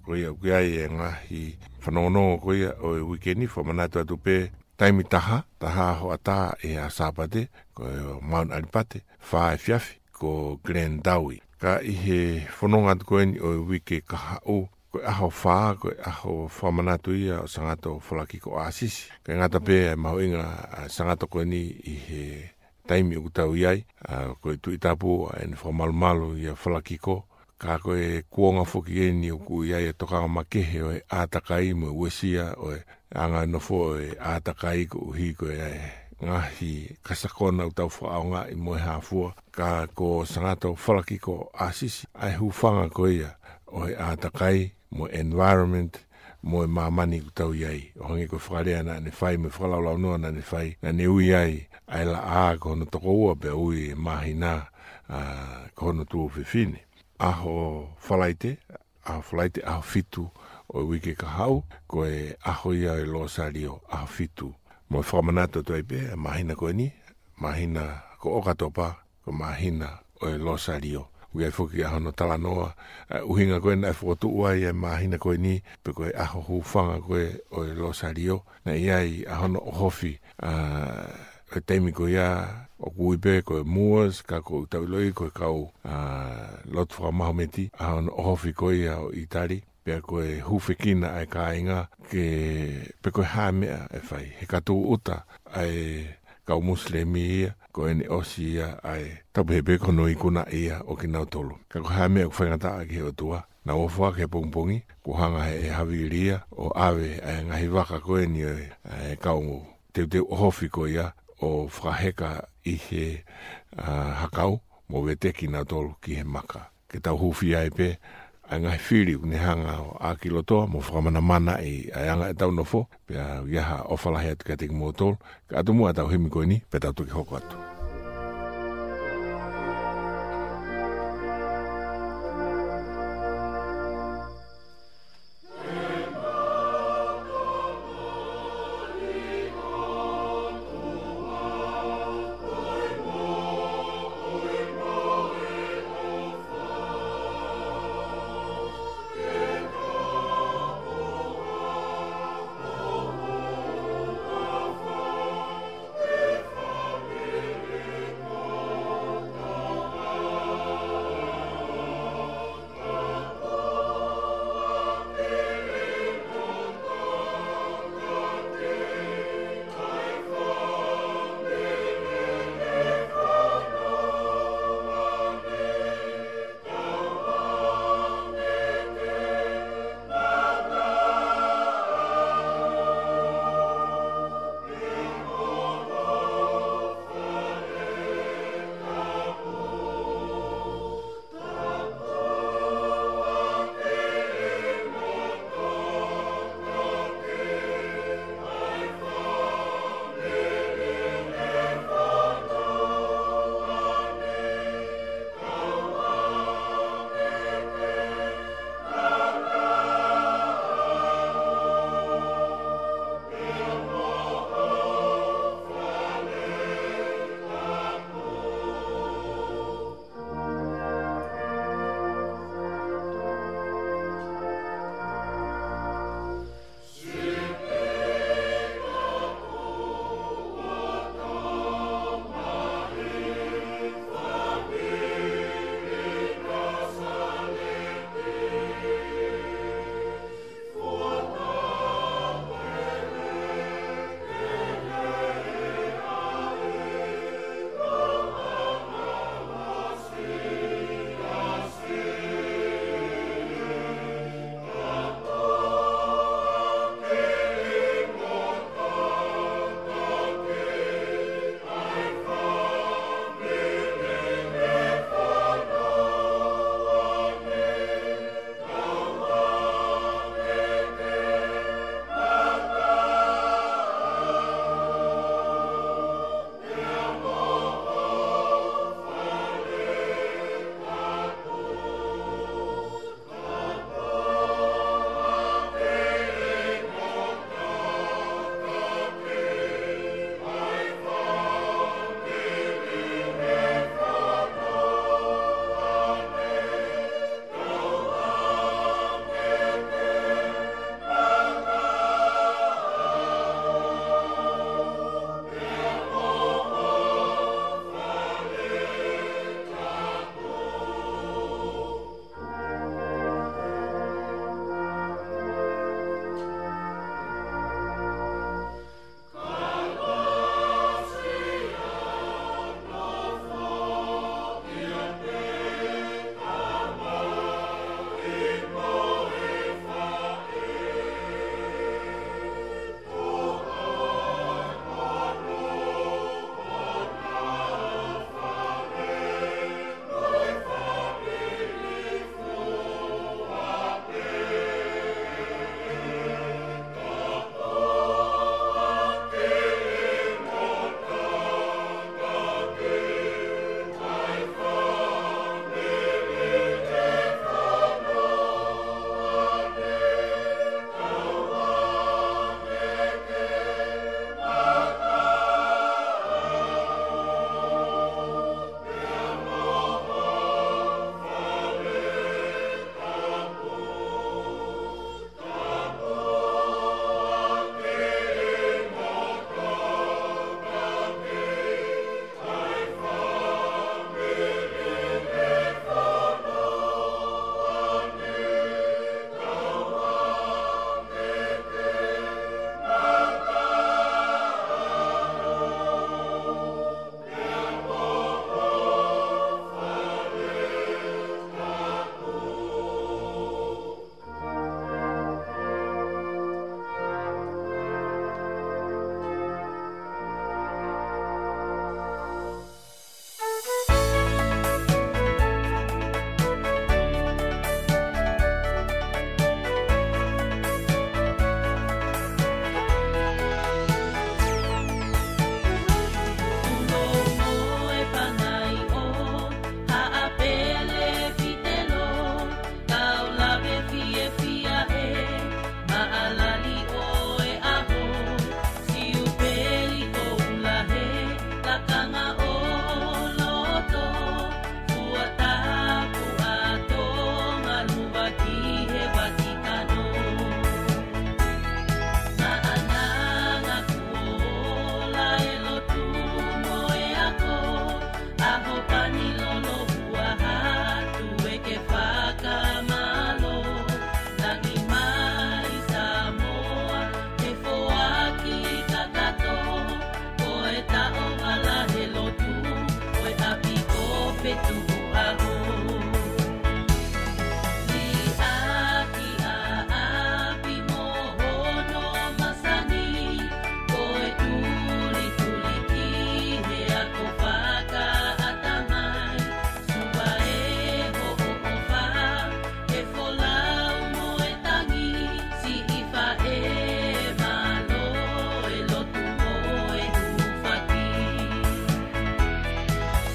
ko ia ʻoku ʻi ai e ngaahi fanongonongo ko ia ʻo e uike ni, fakamanatu atu pē taimi taha, taha hoʻatā ʻi he Sāpate, ko e Mount Alipate, fā efiafi, ko Glendowie. Ka ʻi he fononga atu ko eni ʻo e uike kahaʻu, ko e ʻaho fā, ko e ʻaho fakamanatu ia ʻo Sangato Falakiko ʻAsisi. Kae ngata pē ʻa e mahuʻinga ʻa Sangato ko eni ʻi he taimi ʻoku tau ʻi ai, ʻa, ko e Tuʻi Tapu ʻa ʻene fakamalumalu ʻia Falakiko, ka ko e kuonga foki eni ʻoku ʻi ai e tokanga makehe ʻo e ʻātakai mo e uesia ʻo e anga e nofo ʻo e ʻātakai koeʻuhi ko e ngaahi kasakona ʻoku tau fakaʻaongaʻi mo e hā fua, ka ko Sangato Falakiko ʻAsisi, ʻa e hūfanga ko ia ʻo e ʻātakai mo e environment mo e māmani ʻoku tau ʻi ai. ʻO hangē ko e fakalea naʻa ne fai mo e fakalaulaunoa naʻa ne fai, naʻa ne ui ai ʻa e laʻā ko hono tokoua pea ui e māhina, ʻa, ko hono tuofefine. ʻAho Falaite, ʻaho Falaite, ʻaho fitu ʻo e uike kahaʻu, ko e ʻaho ia ʻo e Losālio, ʻaho fitu. Mo e fakamanatu atu ai pē, māhina ko eni, māhina ko ʻOkatopa, ko e māhina ʻo e Losālio. ʻOku ʻi ai foki ʻa hono talanoa, ʻa e ʻuhinga ko ē naʻe fokotuʻu ai e māhina ko eni, pe ko e ʻaho hūfanga ko ē ʻo e Losālio, naʻe ʻi ai ʻa hono ʻohofi, ʻa, ʻo e taimi ko ia, ʻoku ui pē ko e Moors, ka ʻoku tau ʻiloʻi ko e kau, ʻa, lotu faka-Mahometi, ʻa hono ʻohofi ko ia ʻo ʻItali, pea ko e hūfekina ʻa e kāinga ke, pe ko e hā e meʻa ʻe fai. He ka tūʻuta ʻa e kau Musilemi ia, ko ʻene ʻosi ia ʻa e, tau pehē pē ko hono ikuna ia ʻo kinautolu. Ka ko e hā e meʻa ʻoku faingataʻa ki he ʻOtua, naʻa nau ʻofa ki he pongipongi, kuo hanga ʻe he havili ia ʻo ʻave ʻa e ngaahi vaka ko eni ʻo e, ʻa e kau teuteu ʻohofi ko ia ʻo fakaheka ʻi he, ʻa, hakau, mo veteki kinautolu ki he maka. Ke tau hūfia ai pē ʻa e ngaahi fili ʻoku ne hanga ʻo ʻākilotoa mo fakamanamanaʻi ʻa e anga ʻetau nofo, pea ʻoku ʻi ai ha ʻofa lahi atu kiate kimoutolu, kae ʻatā muʻa ʻetau himi ko eni, pea tau toki hoko atu. Tuʻu ʻaho. Liʻaki ʻa ʻapi mo hono masani, ko e tulituli ki he ako fakaʻatamai. Suva e hoʻo ʻofa, e folau mo e tangi, siʻi faʻē mālō e lotu mo e hūfaki.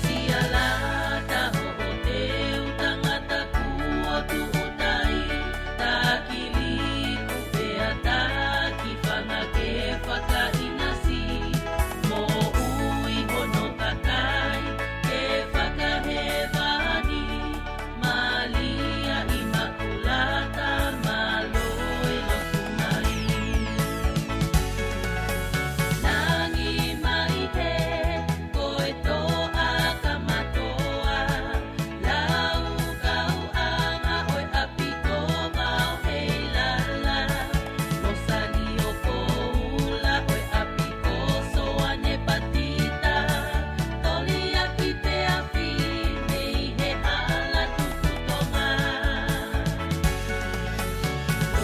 Sialata hoʻo teu tangata kuo tuʻutai, taki liku pea taki fanga ke fakaʻinasi, moʻui hono kakai ke fakahēvani. Malia ʻImakulata, mālō e lotu mai. Langi mai he, ko e toʻa kamatoa, lau kau anga ʻo e ʻapi ko Vao Heilala, Losani ʻo Koula ʻo e ʻapi ko Soane Patita, Toliaki Teafi mei he hala Tuku Tonga.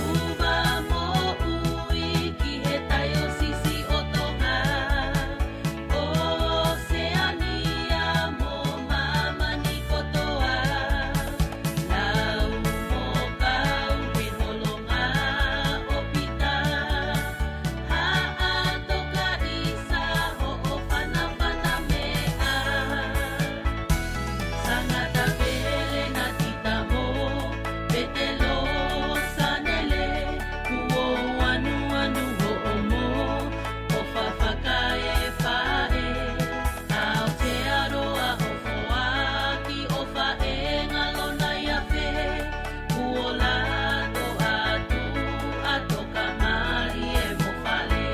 Uva moʻui ki he taiosisi ʻo Tonga, ʻOseania mo māmani kotoa, lau mo kau he holonga ʻo Pita, Haʻatokaisa hoʻo fanafana meʻa. Sangata Pele Natita mo Petelo Sanele, kuo anuanu hoʻomo ʻofa fakaefaʻe. Aotearoa ʻo Foaki ʻo Faʻenga Lonaiafe, kuo lato atu ʻa Toka Malie mo Fale.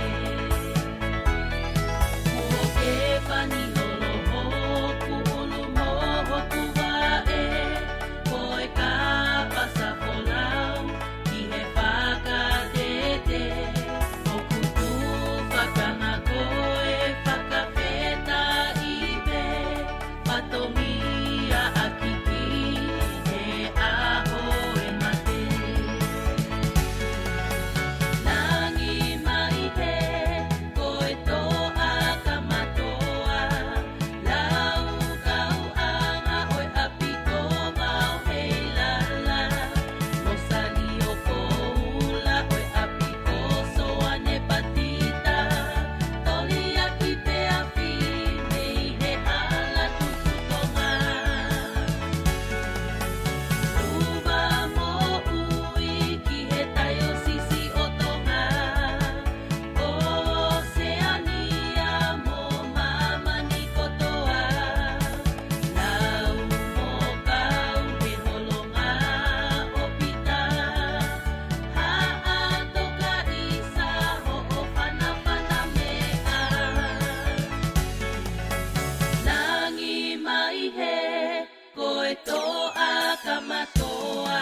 Kuo ke pani lolo hoku ʻulu mo hoku vaʻe, ko e kapa sa folau ki he fakatete, ʻoku tufa kama ko e fakafetaʻi pē, fatongia ʻaki ki he ʻaho e mate. Langi mai he, ko e toʻa kamatoa, lau kau anga ʻo e ʻapi ko Vao Heilala, Losani ʻo Koula ʻo e ʻapi ko Soane Patita, Toliaki Teafi mei he hala Tuku Tonga. Uva moʻui ki he taiosisi ʻo Tonga, ʻOseania mo māmani kotoa, lau mo kau he holonga ʻo Pita, Haʻatokaisa hoʻo fanafana meʻa. Langi mai he, ko e toʻa kamatoa,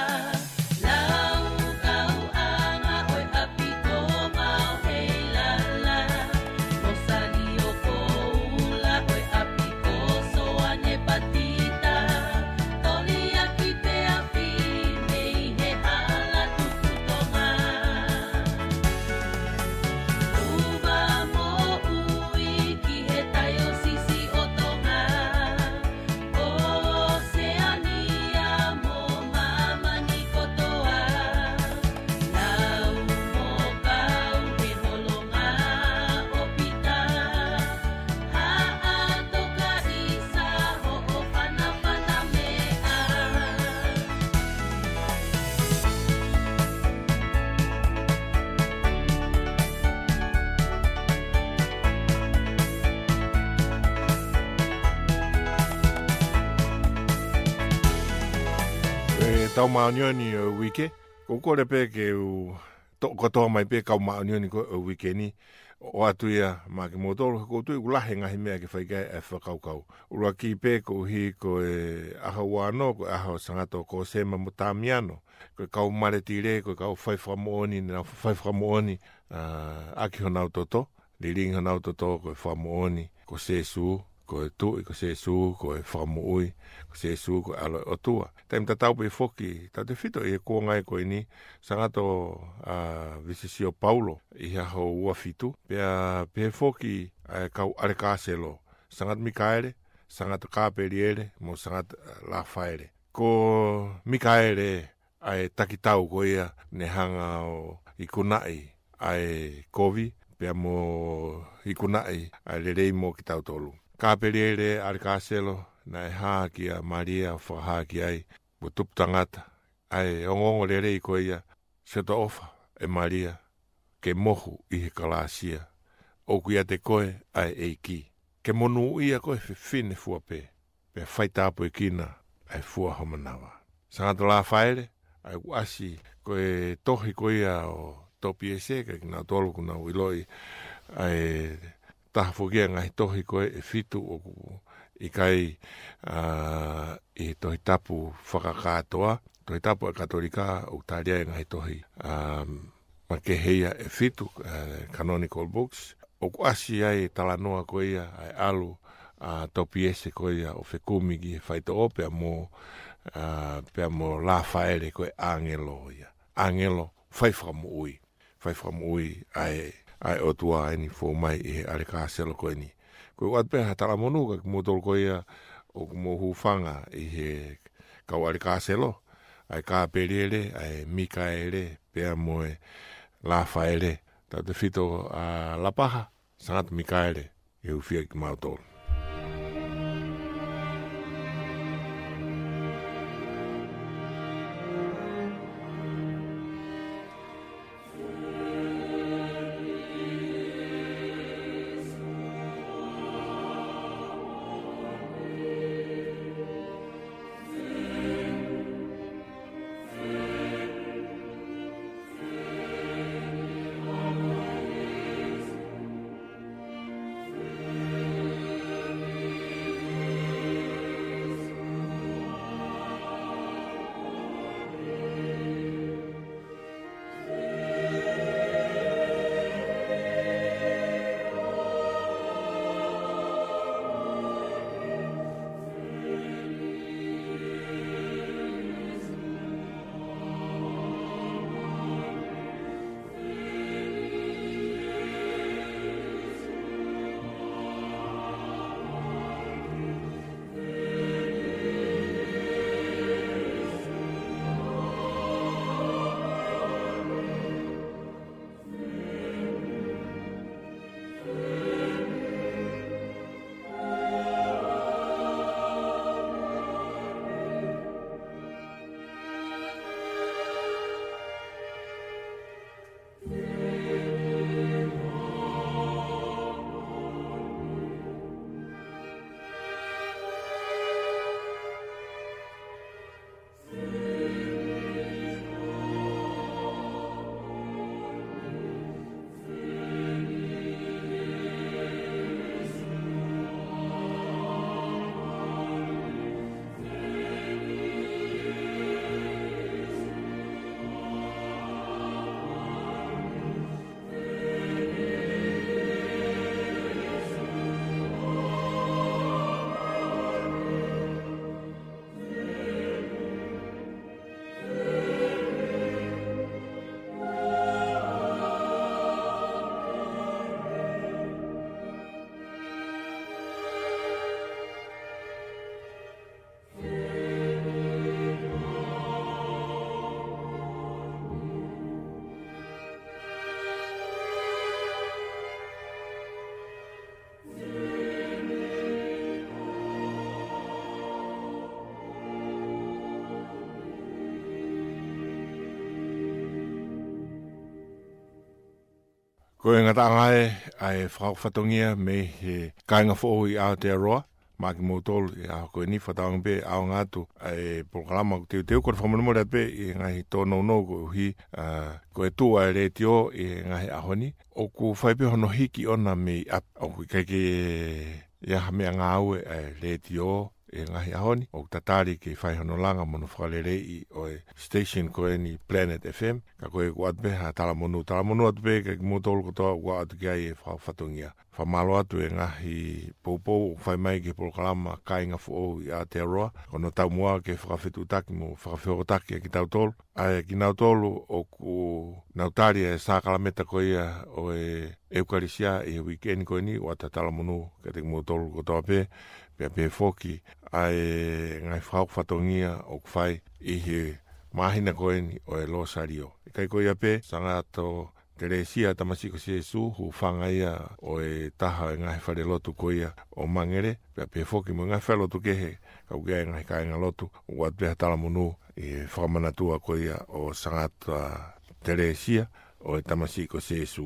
lau kau anga ʻo e ʻapi ko Vao Heilala, Losani ʻo Koula ʻo e ʻapi ko Soane Patita, Toliaki Teafi mei he hala Tuku Tonga. Uva moʻui ki he taiosisi ʻo Tonga, ʻOseania mo māmani kotoa, lau mo kau he holonga ʻo Pita, Haʻatokaisa hoʻo fanafana meʻa. ʻE Tau Māʻoniʻoni ʻo e Uike, ʻoku ou kole pē ke u toʻo kotoa mai pē kau māʻoniʻoni ko ē ʻo e uike ni, ʻoatu ia maʻa kimoutolu, he ʻoku ou tui ʻoku lahi e ngaahi meʻa ke fai ki ai e fakakaukau. ʻUluaki pē koeʻuhi ko e ʻaho ua ono, ko e ʻaho ʻo Sangato Kosema mo Tamiano, ko e kau maletile, ko e kau fai fakamoʻoni, ne nau fai fakamoʻoni, ā, ʻaki honau toto, lilingi honau toto ko e fakamoʻoni ko Sēsū, ko e Tuʻi, ko Sēsū ko e Fakamoʻui, ko Sēsū ko e ʻAlo ʻo e ʻOtua. Taimi tatau pē foki, tautefito ʻi he kuonga ko eni, Sangato, ā, Visisio Paulo ʻi he ʻaho ua fitu, pea pehē foki ʻa e kau ʻalekāselo, Sangato Mikaele, Sangato Kapeliele, mo Sangato, ā, Lafaele. Ko Mikaele ʻa e takitau ko ia ne hanga ʻo ikunaʻi ʻa e kovi, pea mo ikunaʻi ʻa e lelei mo kitautolu. Kapeliele ʻalekāselo, naʻe hā kia Malia ʻo fakahā ki ai, mo tupu tangata, ʻa e ongoongolelei ko ia, Siʻoto ʻofa, ʻe Malia, ke mohu ʻi he kalāsia, ʻoku ʻiate koe ʻa e ʻEiki. Ke monūʻia koe fefine fua pē, pea faitāpuekina ʻa e fua ho manava. Sangato Lafaele, ʻa ia ʻoku ʻasi, ko e tohi ko ia ʻo Topiese, ka kinautolu ʻoku nau ʻiloʻi ʻa e taha foki ʻa e ngaahi tohi ko ē ʻe fitu ʻoku ʻikai, ā, ʻi he Tohi Tapu fakakātoa, Tohi Tapu ʻa e Katolika ʻoku tali ai e ngaahi tohi, ā, makehe ia ʻe fitu, ā, canonical books. ʻOku ʻasi ai e talanoa ko ia ʻa e ʻalu ʻa Topiese ko ia ʻo fekumi ki he faitoʻo pea mo, ā, pea mo Lafaele ko e ʻāngelo ia. ʻĀngelo fai fakamoʻui. Fai fakamoʻui ʻa e, ʻa e ʻOtua ʻeni fou mai ʻi he ʻalekāselo ko eni. Ko e ʻoatu pē ha talamonū kia kimoutolu ko ia ʻoku mou hūfanga ʻi he kau ʻalekāselo, ʻa e Kapeliele, ʻa e Mikaele, pea mo e Lafaele. Tautefito ʻa Lapaha, Sangato Mikaele, ʻe hūfia kimautolu. Ko e ngataʻanga ē ʻa e fakafatongia mei he kāinga foʻou ʻi Aotearoa, maʻa kimoutolu ʻi he ʻaho ko eni. Fakatauange pē ʻaonga atu ʻa e polokalama ʻoku teuteu, ko e fakamolemole atu pē ʻi he ngaahi tōnounou koeʻuhi, ā, ko e tuʻu ʻa e letiō ʻi he ngaahi ʻaho ni, ʻoku fai pē hono hiki ʻona mei ʻapi, ʻoku ʻikai ke ʻi ai ha meʻangāue ʻa e letiō, ʻi he ngaahi ʻaho ni, ʻoku tatali ke fai hono langa mo hono fakaleleiʻi ʻo e station ko eni Planet F M, ka ko e ʻoku ʻoatu pē ha talamonū. Talamonū atu pē kiate kimoutolu kotoa ʻoku ʻoatu ki ai e fakafatongia. Fakamālō atu e ngaahi poupou ʻoku fai mai ki he polokalama Kāinga Foʻou ʻi Aotearoa, ko hono taumuʻa ke fakafetuʻutaki mo fakafehokotaki ʻa kitautolu. ʻA ia kinautolu ʻoku nau tali e sākalameta ko ia ʻo e ʻEukalisia ʻi he uike ni ko eni, ʻoku ʻoatu ha talamonū kiate kimoutolu kotoa pē, pea pehē foki ʻa e ngaahi fakahoko fatongia ʻoku fai ʻi he māhina ko eni ʻo e Lōsalio. ʻIkai ko ia pē, Sangata Telesia, tamasiʻi ko Sēsū, hūfanga ia ʻo e taha e ngaahi falelotu ko ia ʻo Mangere, pea pehē foki mo e ngaahi falelotu kehe, ka ʻoku ʻi ai e ngaahi kāingalotu, ʻoku ʻoatu pē ha talamonū ʻi he fakamanatua ko ia ʻo Sangata Telesia, ʻo e tamasiʻi ko Sēsū.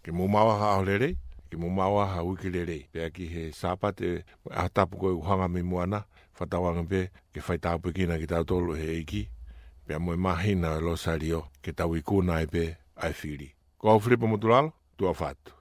Ke mou maʻu ha ʻaho lelei, ke mou maʻu ha uike lelei, pea ki he Sāpate, ʻaho tapu ko ē ʻoku hanga mei muʻa na, fakatauange pē ke fai tāpuekina kitautolu ʻe he ʻEiki, pea mo e māhina ʻo e Lōsalio, ke tau ikuna ai pē ʻa e fili. Ko au Filipa Motulalo, tuʻa ʻofa atu.